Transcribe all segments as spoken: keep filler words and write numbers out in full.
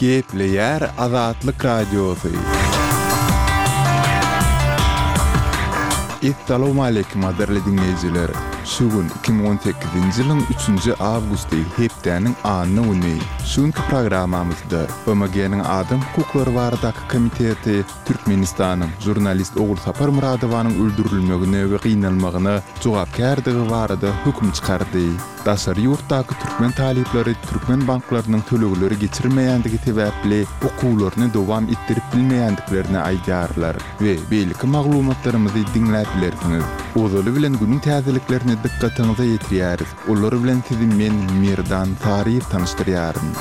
Gepleýär Azatlyk Radiosy. Essalawmaleýkim gadyrly diňleýjiler! Şu gün iki müň on sekizinji ýylyň üçünji awgusty, hepdäniň anna güni. Şu günki programmamyzda B M G-niň Adam hukuklary baradaky komiteti Türkmenistanyň žurnalist Ogulsapar Myradowanyň öldürilmegine we gynalmagyna jogapkärdigi barada höküm çykardy. Daşary ýurtdaky türkmen talyplary türkmen banklarynyň tölegleri geçirmeýändigi sebäpli okuwlaryny dowam etdirip bilmeýändiklerini aýdýarlar we beýleki maglumatlarymyzy diňläp bilersiňiz. Ozaly bilen günüň täzeliklerini dykgatyňyza ýetirýäris. Olar bilen sizi men Merdan Saryýew tanyşdyrýaryn.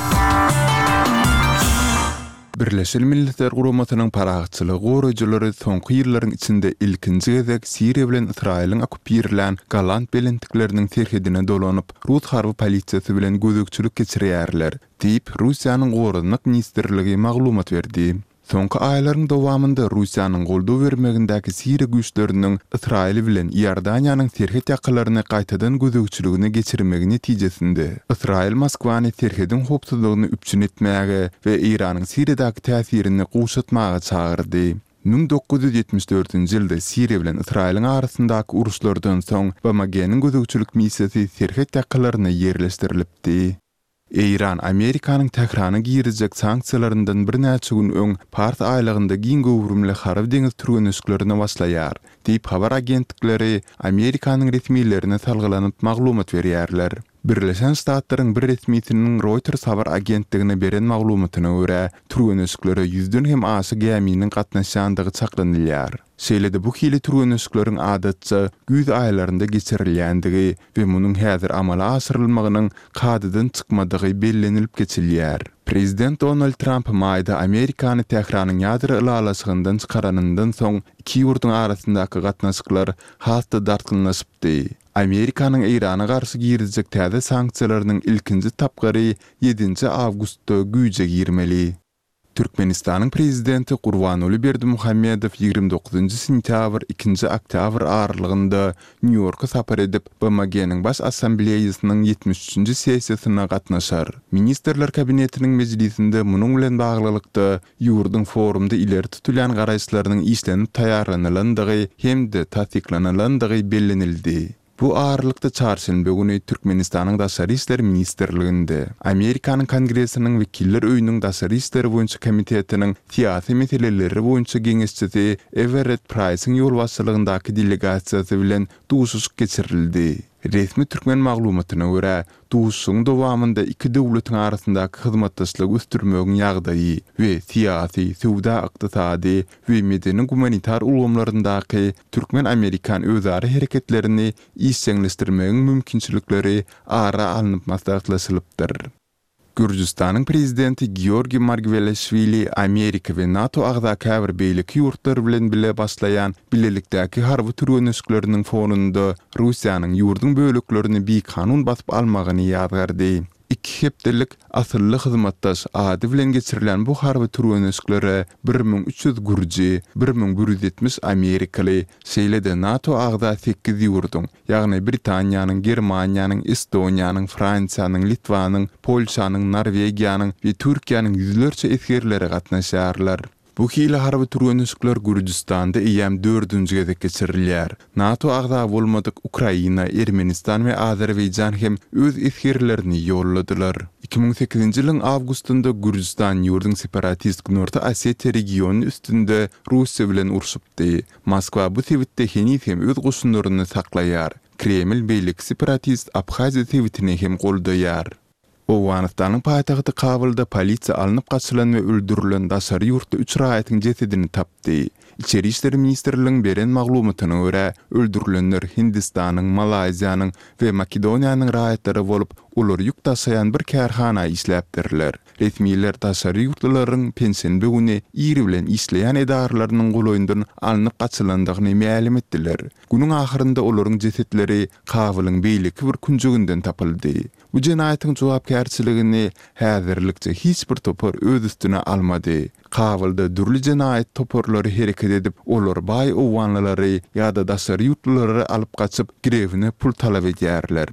Birleşen Milletler Guramasynyň parahatçylygy goraýjylary soňky ýyllaryň içinde ilkinji gezek Siriýa bilen Ysraýylyň okkupirlän Golan belentlikleriniň serhedine dolanyp, rus harby polisiýasy bilen gözegçilik geçirýärler, diýip, Russiýanyň Goranmak ministrligi maglumat berdi. Soňky aýlaryň dowamynda Russiýanyň goldaw bermegindäki Siriýa güýçleriniň Ysraýyl bilen Iordaniýanyň serhet ýakalaryny gaýtadan gözegçiligine geçirmegi netijesinde Ysraýyl Moskwany serhediň howpsuzlygyny üpjün etmäge we Eýranyň Siriýadaky täsirini gowşatmaga çagyrdy. Müň dokuz ýüz ýetmiş dördünji ýylda Siriýa bilen Ysraýylyň arasyndaky uruşlardan soň B M G-niň gözegçilik missiýasy serhet ýakalaryna ýerleşdirilipdi. Eýran Amerikanyň Tährana girizjek sanksiýalaryndan birnäçe gün öň Pars aýlagynda giň göwrümli harby deňiz türgenleşiklerine başlaýar, diýip habar agentlikleri Amerikanyň resmilerine salgylanyp maglumat berýärler. Birleşen Ştatlaryň bir resmisiniň Reuters habar agentligine beren maglumatyna görä, türgenleşiklere ýüzden hem aşa gäminiň gatnaşýandygy çaklanylýar. Şeýle-de bu hili türgenleşikleriň adatça güýz aýlarynda geçirilýändigi we munuň häzir amala aşyrylmagynyň kadadan çykmadygy bellenilip geçilýär. Prezident Donald Tramp maýda Amerikany Tähranyň ýadro ylalaşygyndan çykaranyndan soň iki ýurduň arasyndaky gatnaşyklar has-da dartgynlaşypdy. Amerikanyň Eýrana garşy girizjek täze sanksiýalarynyň ilkinji tapgyry ýedinji awgustda güýje girmeli. Türkmenistanyň prezidenti Gurbanguly Berdimuhamedow ýigrimi dokuzynjy sentýabr ikinji oktýabr aralygynda Nýu-Ýorka sapar edip, B M G-niň Baş Assambleýasynyň ýetmiş üçünji sessiýasyna gatnaşar. Ministrler Kabinetiniň mejlisinde munuň bilen baglylykda ýurduň forumda ileri tutulýan garaýyşlarynyň işlenip taýýarlanylandygy hem-de tassyklanylandygy bellenildi. Bu aralykda çarşenbe güni Türkmenistanyň Daşary işler ministrliginde Amerikanyň Kongresiniň Wekiller öýüniň Daşary işler boýunça komitetiniň syýasy meseleleri boýunça geňeşçisi Everett Price'iň ýolbaşçylygyndaky delegasiýasy bilen duşuşyk geçirildi. Resmi türkmen maglumatyna görä, duşuşygyň dowamynda iki döwletiň arasyndaky hyzmatdaşlygy ösdürmegiň ýagdaýy we syýasy, söwda-ykdysady we medeni-gumanitar ulgamlaryndaky türkmen-amerikan özara hereketlerini işjeňleşdirmegiň mümkinçilikleri ara alnyp maslahatlaşylypdyr. Gürjüstanyň prezidenti Georgiý Margweleşwili Amerika we NATO agza käbir beýleki ýurtlar bilen bile başlaýan bilelikdäki harby türgenleşikleriniň fonunda Russiýanyň ýurduň böleklerini bikanun basyp almagyny ýazgardy. Iki hepdelik asylly hyzmatdaş ady bilen geçirilen bu harby türgenleşiklere bir müň üç ýüz gürji, bir müň bir ýüz ýetmiş amerikaly, şeýle-de NATO agza sekiz ýurduň, ýagny Britaniýanyň, Germaniýanyň, Estoniýanyň, Fransiýanyň, Litwanyň, Polşanyň, Norwegiýanyň we Türkiýäniň ýüzlerçe esgerleri gatnaşýarlar. Bu hili harby türgenleşikler Gürjüstanda eýýäm dördünji gezek geçirilýär. NATO agza bolmadyk Ukraina, Ermenistan we Azerbaýjan hem öz esgerlerini ýolladylar. Iki müň sekizinji ýylyň awgustynda Gürjüstan ýurduň separatist Günorta Osetiýa regiony üstünde Russiýa bilen urşupdy. Moskwa bu sebitde heniz hem öz goşunlaryny saklaýar. Kreml beýleki separatist Abhaziýa sebitini hem goldaýar. Owganystanyň paýtagty Kabulda polisiýa alnyp gaçylan we öldürilen daşary ýurtly üç raýatyň jesedini tapdy. Içeri işler ministrliginiň beren maglumatyna görä, öldürilenler Hindistanyň, Malaýziýanyň we Makedoniýanyň raýatlary bolup, olar ýük daşaýan bir kärhana işläpdirler. Resmiler daşary ýurtlularyň penşenbe güni ir bilen işleýän edaralarynyň golaýyndan alnyp gaçylandygyny mälim etdiler. Günüň ahyrynda olaryň jesetleri Kabulyň beýleki bir künjeginden tapyldy. Bu jenaýatyň jogapkärçiligini häzirlikçe hiç bir topar öz üstüne almady. Kabulda dürli jenaýat toparlary hereket edip, olar baý owganlylary ýa-da daşary ýurtlulary alyp gaçyp, girewine pul talap edýärler.